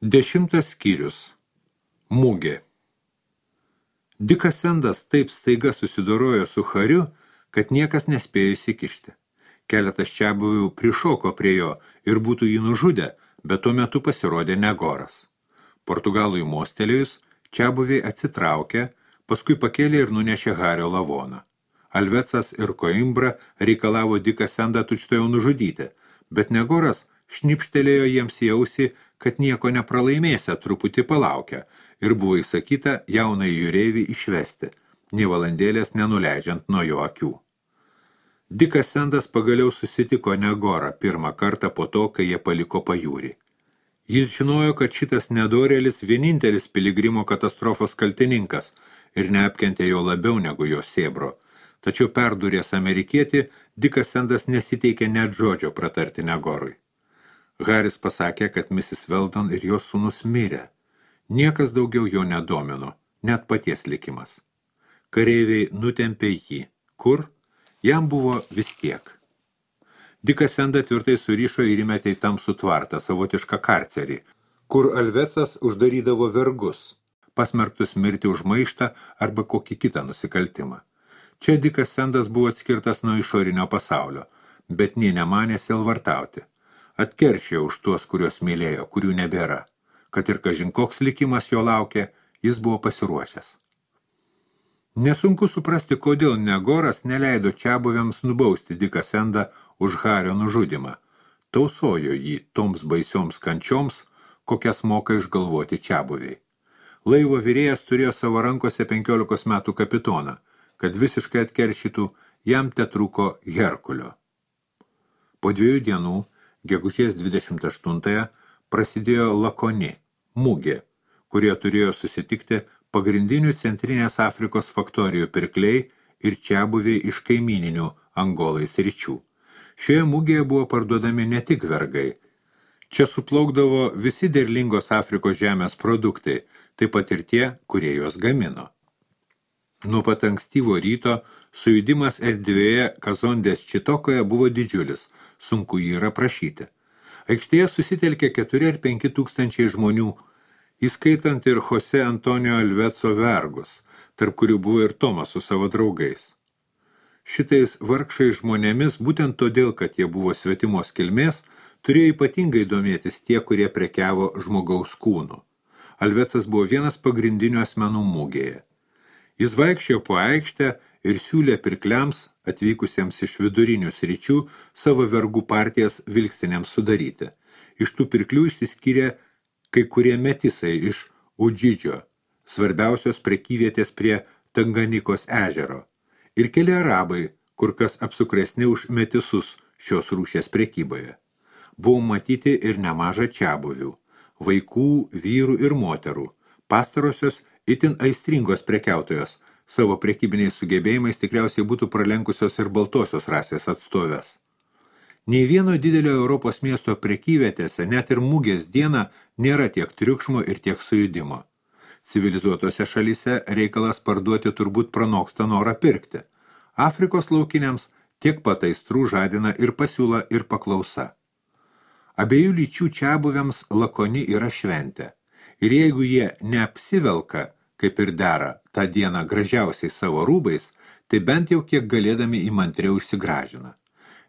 10 skyrius. Mugė. Dikas Sendas taip staiga susidorojo su Hariu, kad niekas nespėjo įsikišti. Keletas čiabuvių prišoko prie jo ir būtų jį nužudę, bet tuo metu pasirodė Negoras. Portugalui mostelėjus, čiabuviai atsitraukė, paskui pakėlė ir nunešė Hario lavoną. Alvecas ir Koimbra reikalavo Diką Sendą tučtuojau nužudyti, bet Negoras šnipštelėjo jiems į ausį, kad nieko nepralaimėsia, truputį palaukia, ir buvo įsakyta jaunai jūreivį išvesti, nei valandėlės nenuleidžiant nuo jo akių. Dikas Sendas pagaliau susitiko Negorą pirmą kartą po to, kai jie paliko pajūrį. Jis žinojo, kad šitas nedorėlis vienintelis piligrimo katastrofos kaltininkas ir neapkentė jo labiau negu jo sėbro, tačiau perdūrės amerikietį, Dikas Sendas nesiteikė net žodžio pratarti Negorui. Haris pasakė, kad Mrs. Weldon ir jos sūnus mirė. Niekas daugiau jo nedomino, net paties likimas. Kareiviai nutempė jį. Kur? Jam buvo vis tiek. Dikas Sendą tvirtai surišo ir įmetė į tamsų tvartą, savotišką karcerį, kur Alvecas uždarydavo vergus, pasmerktus mirti už maištą arba kokį kitą nusikaltimą. Čia Dikas Sendas buvo atskirtas nuo išorinio pasaulio, bet nė nemanė sielvartauti. Atkeršėjo už tuos, kuriuos mylėjo, kurių nebėra. Kad ir kažin koks likimas jo laukė, jis buvo pasiruošęs. Nesunku suprasti, kodėl Negoras neleido čiabuviams nubausti Diką Sendą už Hario nužudymą. Tausojo jį toms baisioms kančioms, kokias moka išgalvoti čiabuviai. Laivo virėjas turėjo savo rankose 15 metų kapitoną, kad visiškai atkeršytų, jam tetrūko Herkulio. Po 2 dienų, gegužės 28-ąją, prasidėjo Lakoni, mugė, kurie turėjo susitikti pagrindinių Centrinės Afrikos faktorijų pirkliai ir čiabuviai iš kaimyninių Angolai sričių. Šioje mugėje buvo parduodami ne tik vergai. Čia suplaukdavo visi derlingos Afrikos žemės produktai, taip pat ir tie, kurie juos gamino. Nuo pat ankstyvo ryto sujudimas erdvėje Kazondės Čitokoje buvo didžiulis, sunku jį ir aprašyti. Aikštėje susitelkė 4 ar 5 tūkstančiai žmonių, įskaitant ir Jose Antonio Alveco vergus, tarp kurių buvo ir Tomas su savo draugais. Šitais vargšais žmonėmis, būtent todėl, kad jie buvo svetimos kilmės, turėjo ypatingai domėtis tie, kurie prekiavo žmogaus kūnu. Alvecas buvo vienas pagrindinių asmenų mugėje. Jis vaikščiojo po aikštę ir siūlė pirkliams, atvykusiems iš vidurinių sričių, savo vergų partijas vilkstinėms sudaryti. Iš tų pirklių išsiskyrė kai kurie metisai iš Udžidžio, svarbiausios prekyvietės prie Tanganikos ežero, ir keli arabai, kur kas apsukresni už metisus šios rūšies prekyboje. Buvo matyti ir nemaža čiabuvių, vaikų, vyrų ir moterų, pastarosios itin aistringos prekiautojos, savo prekybiniais sugebėjimais tikriausiai būtų pralenkusios ir baltosios rasės atstovės. Nei vieno didelio Europos miesto prekyvietėse, net ir mugės dieną, nėra tiek triukšmo ir tiek sujudimo. Civilizuotose šalyse reikalas parduoti turbūt pranoksta norą pirkti. Afrikos laukiniams tiek pat aistrų žadina ir pasiūla, ir paklausa. Abiejų lyčių čiabuviams Lakoni yra šventė. Ir jeigu jie neapsivelka, kaip ir dera, tą dieną gražiausiai savo rūbais, tai bent jau kiek galėdami įmantriau išsigražina.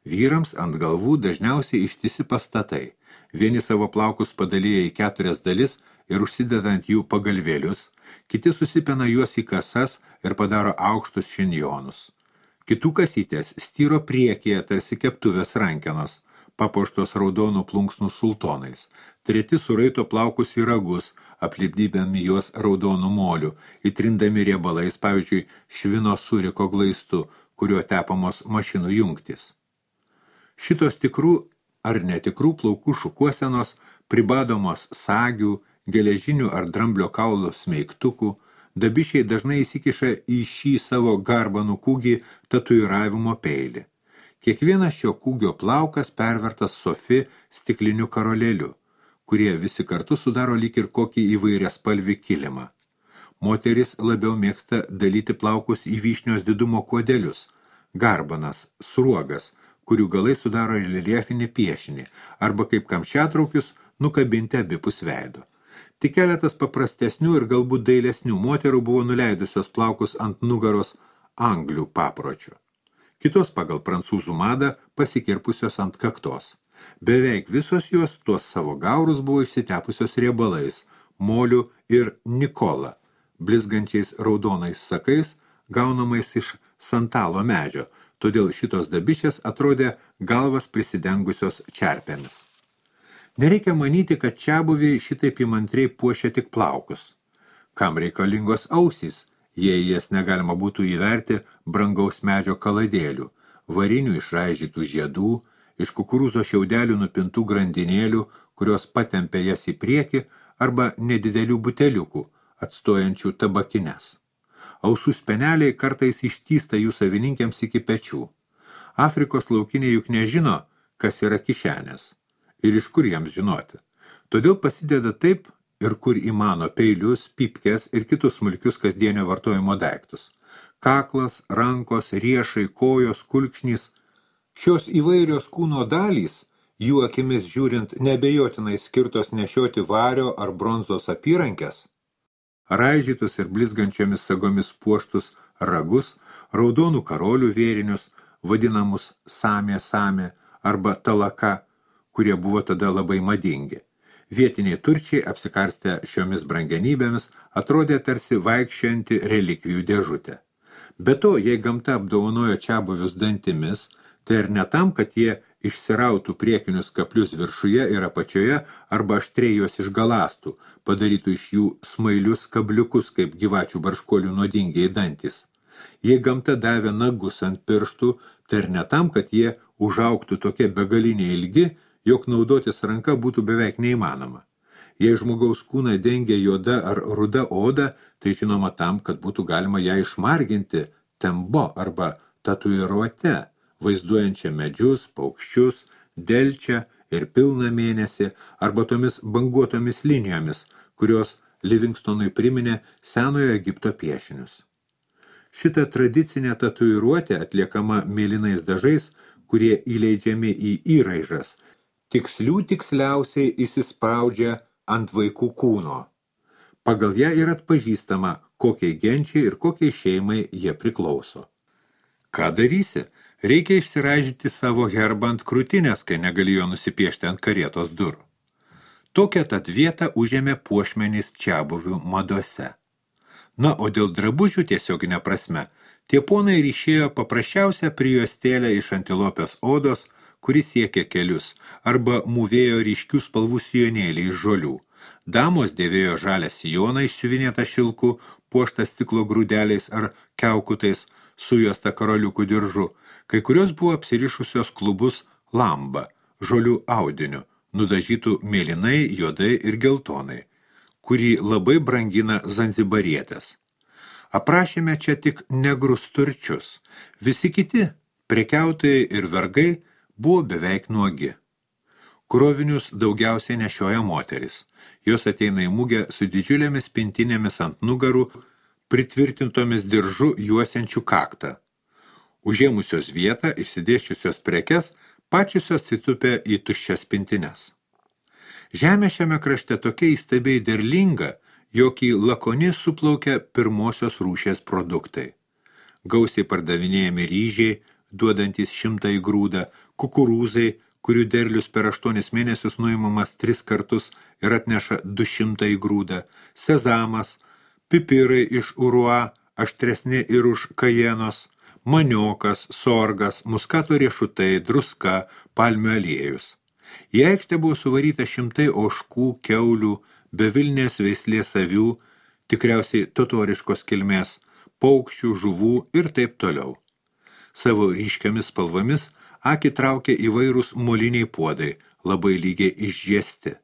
Vyrams ant galvų dažniausiai ištisi pastatai. Vieni savo plaukus padalyja į 4 dalis ir užsidedant jų pagalvėlius, kiti susipena juos į kasas ir padaro aukštus šinjonus. Kitų kasytės styro priekyje tarsi keptuvės rankenos, papuoštos raudonų plunksnų sultonais. Treti suraito plaukus į ragus, aplipdydami juos raudonų molių, įtrindami riebalais, pavyzdžiui, švino suriko glaistu, kuriuo tepamos mašinų jungtys. Šitos tikrų ar netikrų plaukų šukuosenos, pribadomos sagių, geležinių ar dramblio kaulo smeigtukų, dabišiai dažnai įsikiša į šį savo garbanų kūgį tatuiravimo peilį. Kiekvienas šio kūgio plaukas pervertas sofi stikliniu karolėliu, kurie visi kartu sudaro lyg ir kokį įvairiaspalvį kilimą. Moteris labiau mėgsta dalyti plaukus į vyšnios didumo kuodelius, garbanas, sruogas, kurių galai sudaro reljefinį piešinį, arba kaip kamščiatraukius nukabinti abipus veido. Tik keletas paprastesnių ir galbūt dailesnių moterų buvo nuleidusios plaukus ant nugaros anglių papročių. Kitos pagal prancūzų madą pasikirpusios ant kaktos. Beveik visos jos tuos savo gaurus buvo išsitepusios riebalais, moliu ir nikola, blizgančiais raudonais sakais, gaunamais iš santalo medžio, todėl šitos dabišės atrodė galvas prisidengusios čerpėmis. Nereikia manyti, kad čiabuviai šitaip įmantriai puošia tik plaukus. Kam reikalingos ausys, jei jas negalima būtų įverti brangaus medžio kaladėlių, varinių išraižytų žiedų, iš kukurūzo šiaudelių nupintų grandinėlių, kurios patempė jas į priekį, arba nedidelių buteliukų, atstojančių tabakines. Ausų speneliai kartais ištįsta jų savininkėms iki pečių. Afrikos laukiniai juk nežino, kas yra kišenės. Ir iš kur jiems žinoti. Todėl pasideda taip ir kur įmano peilius, pipkes ir kitus smulkius kasdienio vartojimo daiktus. Kaklas, rankos, riešai, kojos, kulkšnys. Šios įvairios kūno dalys, jų akimis žiūrint nebejotinai skirtos nešioti vario ar bronzos apyrankės, raižytus ir blizgančiomis sagomis puoštus ragus, raudonų karolių vėrinius, vadinamus samė arba talaka, kurie buvo tada labai madingi. Vietiniai turčiai, apsikarstę šiomis brangenybėmis, atrodė tarsi vaikščianti relikvijų dėžutė. Be to, jei gamta apdovanojo čiabuvius dantimis, tai ir ne tam, kad jie išsirautų priekinius kaplius viršuje ir apačioje arba aštriai juos išgalastų, padarytų iš jų smailius kabliukus kaip gyvačių barškolių nuodingiai dantis. Jei gamta davė nagus ant pirštų, tai ir ne tam, kad jie užaugtų tokie begaliniai ilgi, jog naudotis ranka būtų beveik neįmanoma. Jei žmogaus kūną dengia juoda ar ruda oda, tai žinoma tam, kad būtų galima ją išmarginti tembo arba tatuiruote, vaizduojančią medžius, paukščius, delčią ir pilną mėnesį, arba tomis banguotomis linijomis, kurios Livingstonui priminė senojo Egipto piešinius. Šita tradicinė tatuiruotė atliekama mėlynais dažais, kurie įleidžiami į įraižas, tiksliausiai įsispraudžia ant vaikų kūno. Pagal ją yra atpažįstama, kokiai genčiai ir kokiai šeimai jie priklauso. Ką darysi? Reikia išsiraižyti savo herbą ant krūtinės, kai negali jo nusipiešti ant karietos durų. Tokią tad vietą užėmė puošmenys čiabuvių madose. Na, o dėl drabužių tiesioginė prasme, tie ponai ryšėjo paprasčiausią prijuostėlę iš antilopės odos, kuris siekė kelius, arba mūvėjo ryškių spalvų sijonėlį iš žolių. Damos dėvėjo žalią sijoną išsiuvinėtą šilku, puoštą stiklo grūdeliais ar kiaukutais, sujuostą karoliukų diržu. Kai kurios buvo apsirišusios klubus lamba, žolių audiniu, nudažytų mėlynai, juodai ir geltonai, kurį labai brangina zanzibarietės. Aprašėme čia tik negrus turčius. Visi kiti, prekiautojai ir vergai, buvo beveik nuogi. Krovinius daugiausiai nešioja moteris. Jos ateina į mugę su didžiulėmis pintinėmis ant nugarų, pritvirtintomis diržu juosiančių kaktą. Užėmusios vietą, išsidėščiusios prekes, pačiusios atsitupė į tuščias pintines. Žemė šiame krašte tokia įstabiai derlinga, jog į Lakonį suplaukia pirmosios rūšies produktai. Gausiai pardavinėjami ryžiai, duodantys 100 grūdą, kukurūzai, kurių derlius per 8 mėnesius nuimamas 3 kartus ir atneša 200 grūdą, sezamas, pipirai iš urua, aštresni ir už kajenos, maniokas, sorgas, muskato riešutai, druska, palmių aliejus. Į aikštę buvo suvaryta 100 ožkų, kiaulių, bevilnės veislės avių, tikriausiai totoriškos kilmės, paukščių, žuvų ir taip toliau. Savo ryškiamis spalvomis akį traukė įvairūs moliniai puodai, labai lygiai išžiesti.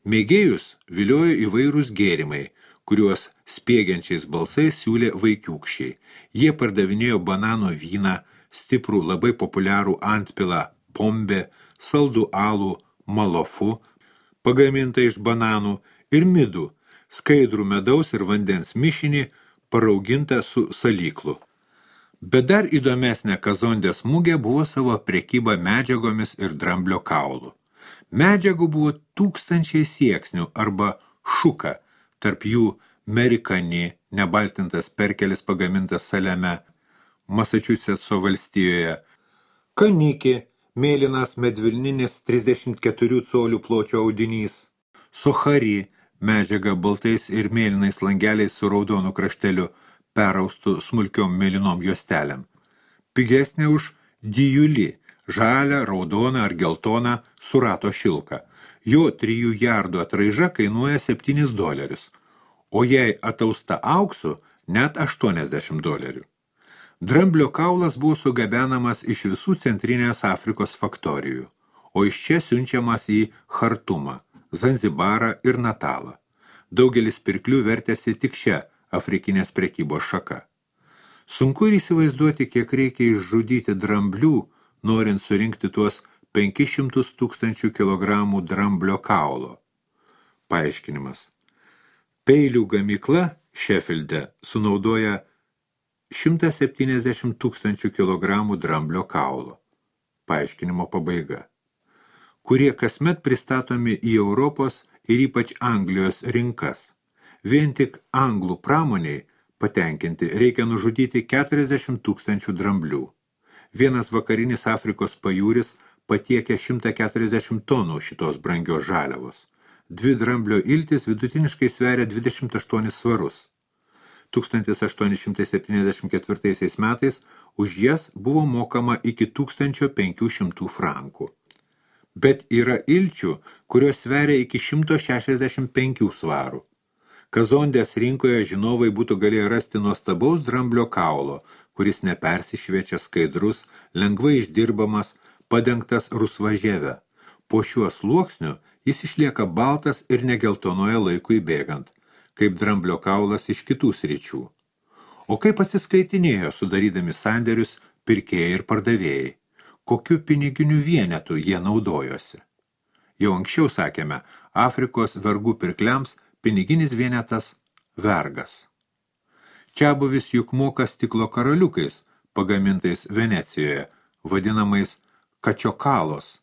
Mėgėjus viliojo įvairūs gėrimai, kuriuos spiegiančiais balsais siūlė vaikiūkščiai. Jie pardavinėjo banano vyną, stiprų labai populiarų antpilą pombė, saldų alų malofu, pagamintą iš bananų, ir midų, skaidrų medaus ir vandens mišinį, paraugintą su salyklu. Bet dar įdomesnė Kazondės mugė buvo savo prekyba medžiagomis ir dramblio kaulu. Medžiagų buvo 1000 sieksnių arba šuka, tarp jų Merikani, nebaltintas perkelis pagamintas Saleme, Masačusetso valstijoje, Kaniki, mėlynas medvilninis 34 colių pločio audinys, Sochari, medžiaga baltais ir mėlynais langeliais su raudonu krašteliu, peraustų smulkiom mėlynom juostelėm. Pigesnė už dijulį, žalią, raudoną ar geltoną surato šilką. Jo 3 jardų atraiža kainuoja $7, o jei atausta auksu, net $80. Dramblio kaulas buvo sugabenamas iš visų centrinės Afrikos faktorijų, o iš čia siunčiamas į Chartumą, Zanzibarą ir Natalą. Daugelis pirklių vertėsi tik šią afrikinės prekybos šaka. Sunku ir įsivaizduoti, kiek reikia išžudyti dramblių, norint surinkti tuos 500 000 kilogramų dramblio kaulo. Paaiškinimas. Peilių gamykla Šefilde sunaudoja 170 000 kilogramų dramblio kaulo. Paaiškinimo pabaiga. Kurie kasmet pristatomi į Europos ir ypač Anglijos rinkas. Vien tik anglų pramoniai patenkinti reikia nužudyti 40 000 dramblių. Vienas vakarinis Afrikos pajūris patiekia 140 tonų šitos brangios žaliavos. 2 dramblio iltis vidutiniškai sveria 28 svarus. 1874 metais už jas buvo mokama iki 1500 frankų. Bet yra ilčių, kurios sveria iki 165 svarų. Kazondės rinkoje žinovai būtų galėję rasti nuostabaus dramblio kaulo, kuris nepersišviečia, skaidrus, lengvai išdirbamas, padengtas rusva žieve. Po šiuo sluoksniu jis išlieka baltas ir negeltonoje laikui bėgant, kaip dramblio kaulas iš kitų sričių. O kaip atsiskaitinėjo sudarydami sandėrius pirkėjai ir pardavėjai? Kokiu piniginiu vienetu jie naudojosi? Jau anksčiau sakėme, Afrikos vergų pirkliams piniginis vienetas vergas. Čiabuvis juk moka stiklo karoliukais, pagamintais Venecijoje, vadinamais kačiokalos,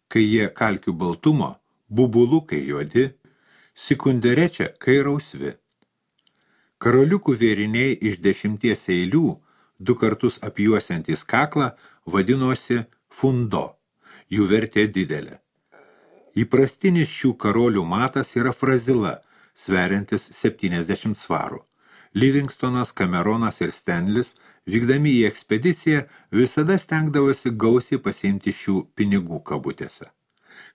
kai jie kalkių baltumo, bubulukai juodi, sikunderečia, kai rausvi. Karoliukų vėriniai iš 10 eilių, 2 kartus apjuosiantys kaklą, vadinosi fundo. Jų vertė didelė. Įprastinis šių karolių matas yra frazila, sveriantis 70 svarų. Livingstonas, Cameronas ir Stanlis, vykdami į ekspediciją, visada stengdavosi gausiai pasiimti šių pinigų kabutėse.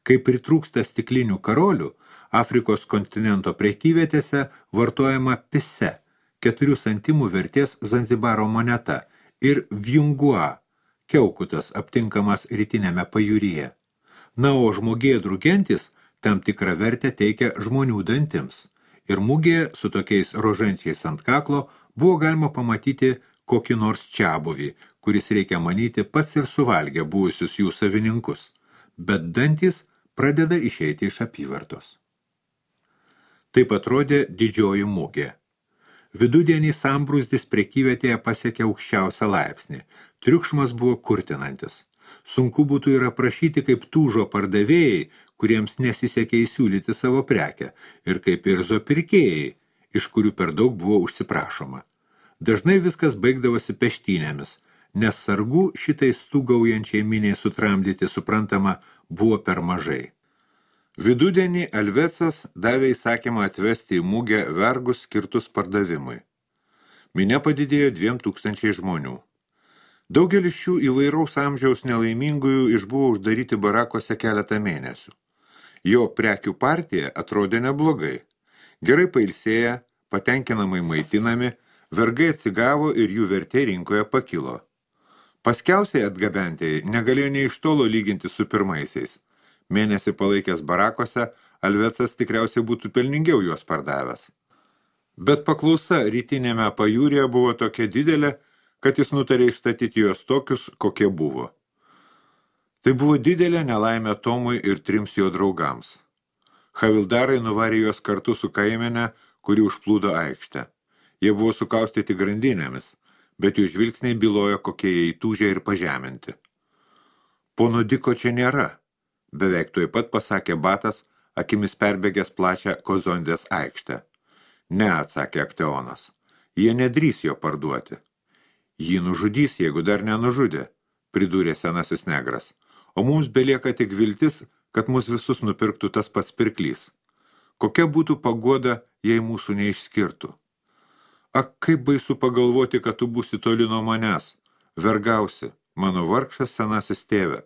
Kai pritrūksta stiklinių karolių, Afrikos kontinento prekyvietėse vartojama pise, 4 centimų vertės Zanzibaro moneta ir vjungua, kiaukutas aptinkamas rytinėme pajūryje. Na, o žmogėdrų gentis tam tikrą vertę teikia žmonių dantims. Ir mugėje su tokiais rožančiais ant kaklo buvo galima pamatyti kokį nors čiabuvį, kuris reikia manyti pats ir suvalgė buvusius jų savininkus. Bet dantys pradeda išeiti iš apyvartos. Taip atrodė didžioji mugė. Vidudienį sambrūzdis prekyvietėje pasiekė aukščiausią laipsnį. Triukšmas buvo kurtinantis. Sunku būtų ir aprašyti, kaip tūžo pardavėjai, kuriems nesisekė įsiūlyti savo prekę, ir kaip irzo pirkėjai, iš kurių per daug buvo užsiprašoma. Dažnai viskas baigdavosi peštynėmis, nes sargų šitai stūgaujančiai miniai sutramdyti, suprantama, buvo per mažai. Vidudienį Alvecas davė įsakymą atvesti į mugę vergus skirtus pardavimui. Minia padidėjo 2000 žmonių. Daugelis šių įvairaus amžiaus nelaimingųjų išbuvo uždaryti barakose keletą mėnesių. Jo prekių partija atrodė neblogai. Gerai pailsėję, patenkinamai maitinami, vergai atsigavo ir jų vertė rinkoje pakilo. Paskiausiai atgabentieji negalėjo nei iš tolo lyginti su pirmaisiais. Mėnesį palaikęs barakose, Alvecas tikriausiai būtų pelningiau juos pardavęs. Bet paklausa rytinėme pajūryje buvo tokia didelė, kad jis nutarė išstatyti juos tokius, kokie buvo. Tai buvo didelė nelaimė Tomui ir 3 jo draugams. Havildarai nuvarė juos kartu su kaimenė, kuri užplūdo aikštę. Jie buvo sukaustyti grandinėmis, bet jų žvilgsniai bylojo, kokie jie įtūžę ir pažeminti. Pono Diko čia nėra, beveik tuoj pat pasakė Batas, akimis perbėgęs plačią Kozondės aikštę. Ne, atsakė Akteonas, jie nedrįs jo parduoti. Jį nužudys, jeigu dar nenužudė, pridūrė senasis negras, o mums belieka tik viltis, kad mus visus nupirktų tas pats pirklys. Kokia būtų paguoda, jei mūsų neišskirtų? Ak, kaip baisu pagalvoti, kad tu būsi toli nuo manęs, vergausi, mano vargšas senasis tėve,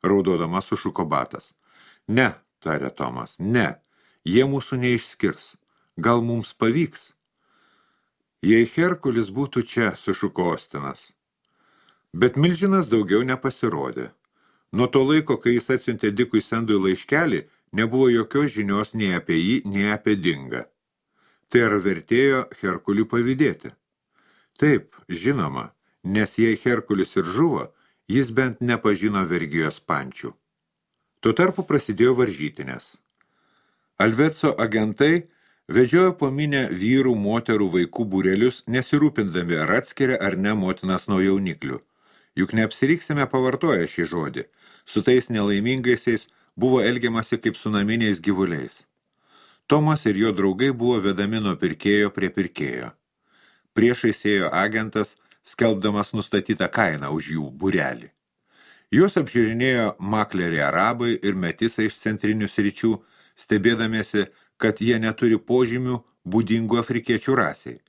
raudodamas sušuko Batas. Ne, tarė Tomas, ne, jie mūsų neišskirs, gal mums pavyks? Jei Herkulis būtų čia, sušuko Ostinas. Bet milžinas daugiau nepasirodė. Nuo to laiko, kai jis atsiuntė Dikui Sendui laiškelį, nebuvo jokios žinios nei apie jį, nei apie Dingą. Tai ar vertėjo Herkuliui pavydėti? Taip, žinoma, nes jei Herkulis ir žuvo, jis bent nepažino vergijos pančių. Tuo tarpu prasidėjo varžytinės. Alvetso agentai vedžiojo po minę vyrų, moterų, vaikų būrelius, nesirūpindami ar atskiria ar ne motinas nuo jauniklių. Juk neapsiriksime pavartoję šį žodį. Su tais nelaimingaisiais buvo elgiamasi kaip su naminiais gyvuliais. Tomas ir jo draugai buvo vedami nuo pirkėjo prie pirkėjo. Priešais ėjo agentas, skelbdamas nustatytą kainą už jų būrelį. Juos apžiūrinėjo makleriai arabai ir metisai iš centrinių sričių, stebėdamiesi, kad jie neturi požymių būdingų afrikiečių rasiai,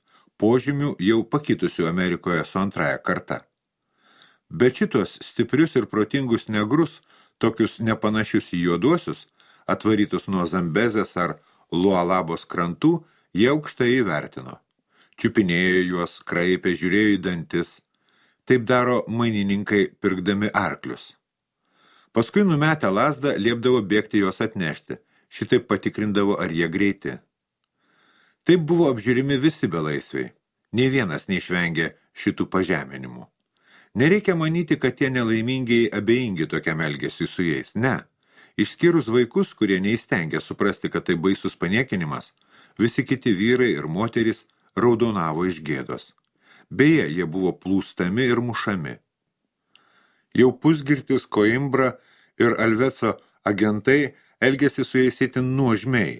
požymių jau pakitusių Amerikoje su antraja karta. Bet šitos stiprius ir protingus negrus, tokius nepanašius į juoduosius, atvarytus nuo Zambezės ar Lualabos krantų, jie aukštai įvertino. Čiupinėjo juos, kraipė, žiūrėjo į dantis. Taip daro mainininkai pirkdami arklius. Paskui numetę lazdą liepdavo bėgti juos atnešti, šitaip patikrindavo, ar jie greiti. Taip buvo apžiūrimi visi belaisviai, nei vienas neišvengė šitų pažeminimų. Nereikia manyti, kad tie nelaimingiai abejingi tokiam elgesiui su jais, ne. Išskyrus vaikus, kurie neįstengė suprasti, kad tai baisus paniekinimas, visi kiti vyrai ir moterys raudonavo iš gėdos. Beje, jie buvo plūstami ir mušami. Jau pusgirtis Koimbra ir Alvetso agentai elgėsi su jais itin nuožmiai,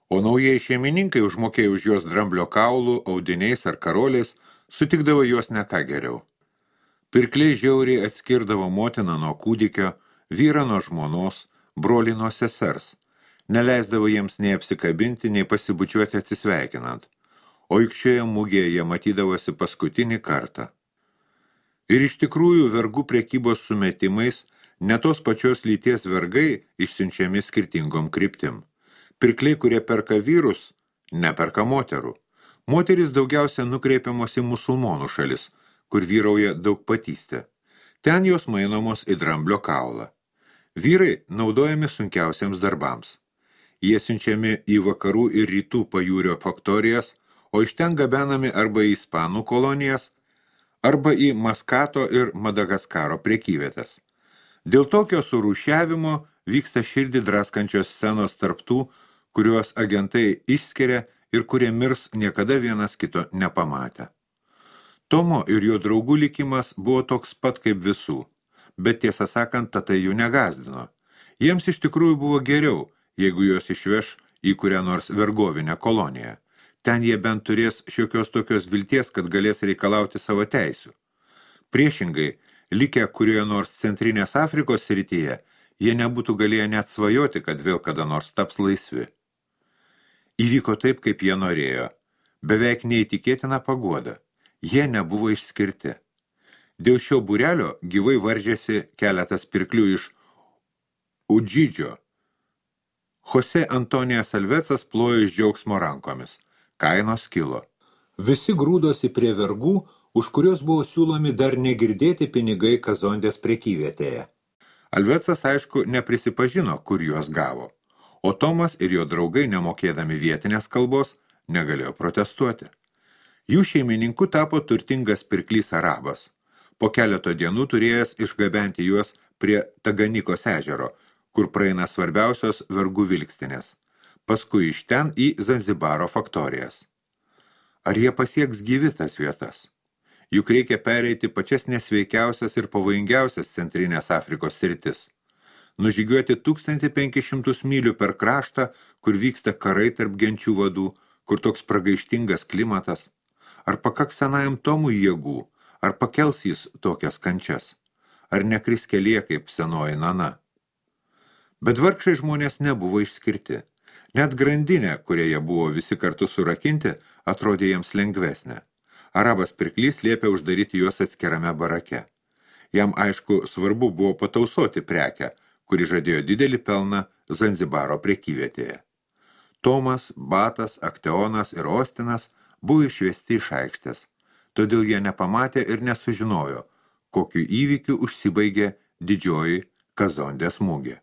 o naujai šeimininkai užmokėję už juos dramblio kaulų, audiniais ar karoliais, sutikdavo juos ne ką geriau. Pirkliai žiauriai atskirdavo motiną nuo kūdikio, vyrą nuo žmonos, brolį nuo sesers, neleisdavo jiems nei apsikabinti, nei pasibučiuoti atsisveikinant, o juk šioje mugėje jie matydavosi paskutinį kartą. Ir iš tikrųjų vergų prekybos sumetimais ne tos pačios lyties vergai išsiunčiami skirtingom kryptim. Pirkliai, kurie perka vyrus, neperka moterų. Moterys daugiausia nukreipiamos į musulmonų šalis, kur vyrauja daugpatystė. Ten jos mainomos į dramblio kaulą. Vyrai naudojami sunkiausiams darbams. Jie siunčiami į vakarų ir rytų pajūrio faktorijas, o iš ten gabenami arba į Ispanų kolonijas, arba į Maskato ir Madagaskaro prekyvietės. Dėl tokio surūšiavimo vyksta širdį draskančios scenos tarp tų, kuriuos agentai išskiria ir kurie mirs niekada vienas kito nepamatę. Tomo ir jo draugų likimas buvo toks pat kaip visų, bet tiesą sakant, tai jų negazdino. Jiems iš tikrųjų buvo geriau, jeigu juos išveš į kurią nors vergovinę koloniją. Ten jie bent turės šiokios tokios vilties, kad galės reikalauti savo teisių. Priešingai, likę kurioje nors centrinės Afrikos srityje, jie nebūtų galėję net svajoti, kad vėl kada nors taps laisvi. Įvyko taip, kaip jie norėjo. Beveik neįtikėtina paguoda. Jie nebuvo išskirti. Dėl šio būrelio gyvai varžėsi keletas pirklių iš Udžidžio. Jose Antonijas Alvetsas plojo iš džiaugsmo rankomis. Kainos kilo. Visi grūdosi prie vergų, už kurios buvo siūlomi dar negirdėti pinigai Kazondės prekyvietėje. Alvetsas, aišku, neprisipažino, kur juos gavo, o Tomas ir jo draugai, nemokėdami vietinės kalbos, negalėjo protestuoti. Jų šeimininku tapo turtingas pirklys arabas, po keleto dienų turėjęs išgabenti juos prie Taganikos ežero, kur praeina svarbiausios vergų vilkstinės, paskui iš ten į Zanzibaro faktorijas. Ar jie pasieks gyvi tas vietas? Juk reikia pereiti pačias nesveikiausias ir pavojingiausias centrinės Afrikos sritis. nužygiuoti 1500 mylių per kraštą, kur vyksta karai tarp genčių vadų, kur toks pragaištingas klimatas? Ar pakaks senajam Tomui jėgų? Ar pakels jis tokias kančias? Ar nekris kelyje kaip senoji Nana? Bet vargšai žmonės nebuvo išskirti. Net grandinė, kurioje buvo visi kartu surakinti, atrodė jiems lengvesnė. Arabas pirklys liepė uždaryti juos atskirame barake. Jam, aišku, svarbu buvo patausoti prekę, kuri žadėjo didelį pelną Zanzibaro prekyvietėje. Tomas, Batas, Akteonas ir Ostinas buvo išvesti iš aikštės, todėl jie nepamatė ir nesužinojo, kokiu įvykiu užsibaigė didžioji Kazondės mugė.